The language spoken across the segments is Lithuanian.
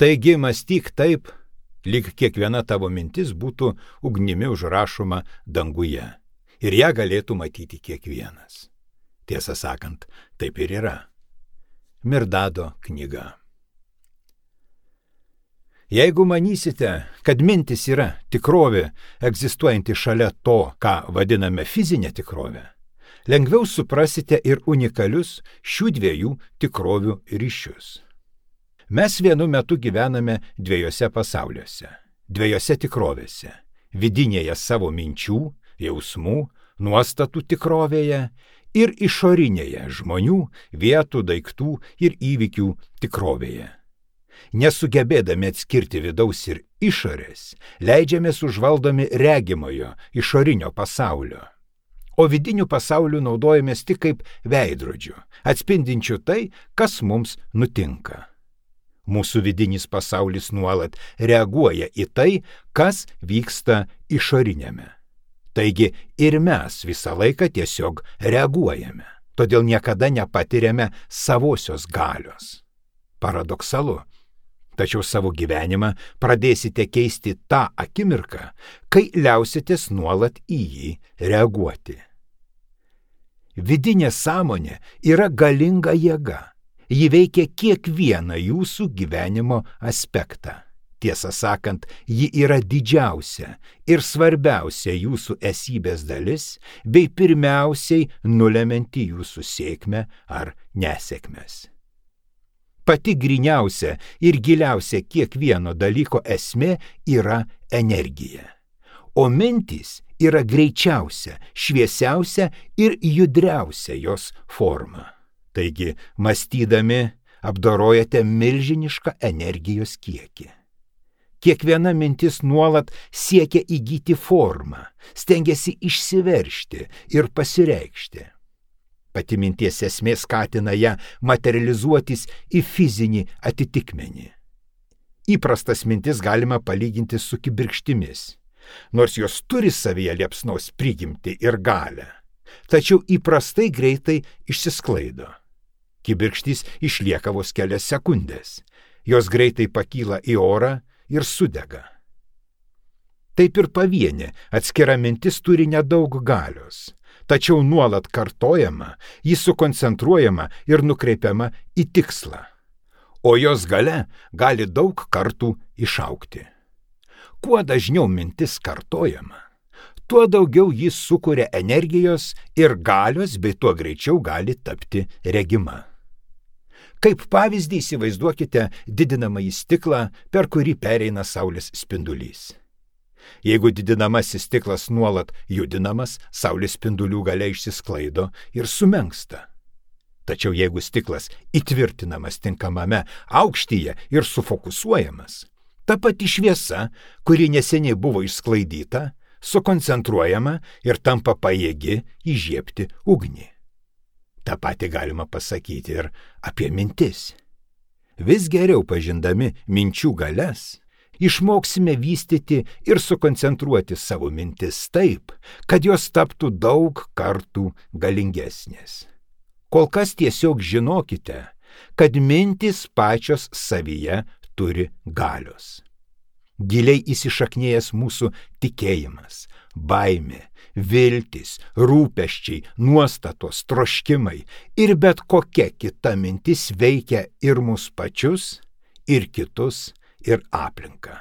Taigi mąstyk taip, lyg kiekviena tavo mintis būtų ugnimi užrašoma danguje ir ją galėtų matyti kiekvienas. Tiesą sakant, taip ir yra. Mirdado knyga. Jeigu manysite, kad mintis yra tikrovė egzistuojanti šalia to, ką vadiname fizinė tikrovė, lengviau suprasite ir unikalius šių dviejų tikrovių ryšius. Mes vienu metu gyvename dviejose pasauliuose, dviejose tikrovėse - vidinėje savo minčių, jausmų, nuostatų tikrovėje ir išorinėje žmonių, vietų, daiktų ir įvykių tikrovėje. Nesugebėdami atskirti vidaus ir išorės, leidžiamės užvaldomi regimojo, išorinio pasaulio. O vidinių pasaulių naudojamės tik kaip veidrodžių, atspindinčių tai, kas mums nutinka. Mūsų vidinis pasaulis nuolat reaguoja į tai, kas vyksta išorinėme. Taigi ir mes visą laiką tiesiog reaguojame, todėl niekada nepatiriame savosios galios. Paradoksalu. Tačiau savo gyvenimą pradėsite keisti tą akimirką, kai liausitės nuolat į jį reaguoti. Vidinė sąmonė yra galinga jėga. Ji veikia kiekvieną jūsų gyvenimo aspektą. Tiesą sakant, ji yra didžiausia ir svarbiausia jūsų esybės dalis, bei pirmiausiai nulemianti jūsų sėkmę ar nesėkmes. Pati gryniausia ir giliausia kiekvieno dalyko esmė yra energija. O mintys yra greičiausia, šviesiausia ir judriausia jos forma. Taigi, mąstydami, apdorojate milžinišką energijos kiekį. Kiekviena mintis nuolat siekia įgyti formą, stengiasi išsiveržti ir pasireikšti. Pati minties esmė skatina ją materializuotis į fizinį atitikmenį. Įprastas mintis galima palyginti su kibirkštimis, nors jos turi savyje liepsnos prigimtį ir galią, tačiau įprastai greitai išsisklaido. Kibirkštys išlieka vos kelias sekundės, jos greitai pakyla į orą ir sudega. Taip ir pavienė atskira mintis turi nedaug galios, tačiau nuolat kartojama, ji sukoncentruojama ir nukreipiama į tikslą, o jos galia gali daug kartų išaugti. Kuo dažniau mintis kartojama, tuo daugiau jis sukuria energijos ir galios, bei tuo greičiau gali tapti regima. Kaip pavyzdį įsivaizduokite didinamąjį stiklą, per kurį pereina saulės spindulys. Jeigu didinamasis stiklas nuolat judinamas, saulės spindulių galia išsisklaido ir sumenksta. Tačiau jeigu stiklas įtvirtinamas tinkamame aukštyje ir sufokusuojamas, ta pati šviesa, kuri neseniai buvo išsklaidyta, sukoncentruojama ir tampa pajėgi įžiebti ugnį. Ta pati galima pasakyti ir apie mintis. Vis geriau pažindami minčių galias, išmoksime vystyti ir sukoncentruoti savo mintis taip, kad jos taptų daug kartų galingesnės. Kol kas tiesiog žinokite, kad mintis pačios savyje turi galios. Giliai įsišaknėjęs mūsų tikėjimas, baimė, viltis, rūpesčiai, nuostatos, troškimai ir bet kokia kita mintis veikia ir mus pačius, ir kitus, ir aplinką.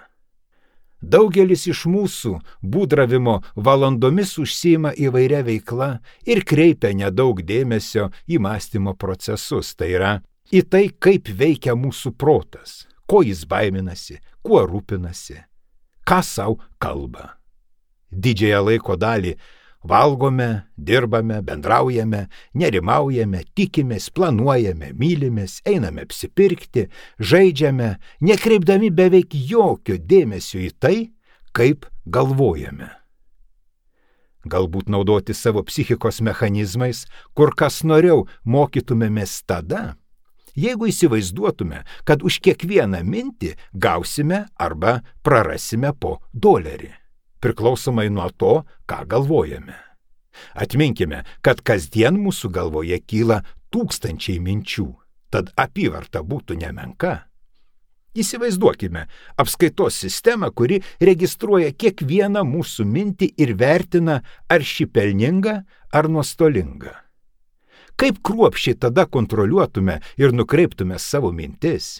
Daugelis iš mūsų būdravimo valandomis užsiima įvairia veikla ir kreipia nedaug dėmesio į mąstymo procesus, tai yra į tai, kaip veikia mūsų protas, ko jis baiminasi, kuo rūpinasi, ką savo kalba. Didžiąją laiko dalį valgome, dirbame, bendraujame, nerimaujame, tikimės, planuojame, mylimės, einame apsipirkti, žaidžiame, nekreipdami beveik jokio dėmesio į tai, kaip galvojame. Galbūt naudoti savo psichikos mechanizmais, kur kas noriau mokytumėmės tada, jeigu įsivaizduotume, kad už kiekvieną mintį gausime arba prarasime po $1. Priklausomai nuo to, ką galvojame. Atminkime, kad kasdien mūsų galvoje kyla tūkstančiai minčių, tad apyvarta būtų nemenka. Įsivaizduokime apskaitos sistemą, kuri registruoja kiekvieną mūsų mintį ir vertina, ar ši pelninga ar nuostolinga. Kaip kruopščiai tada kontroliuotume ir nukreiptume savo mintis?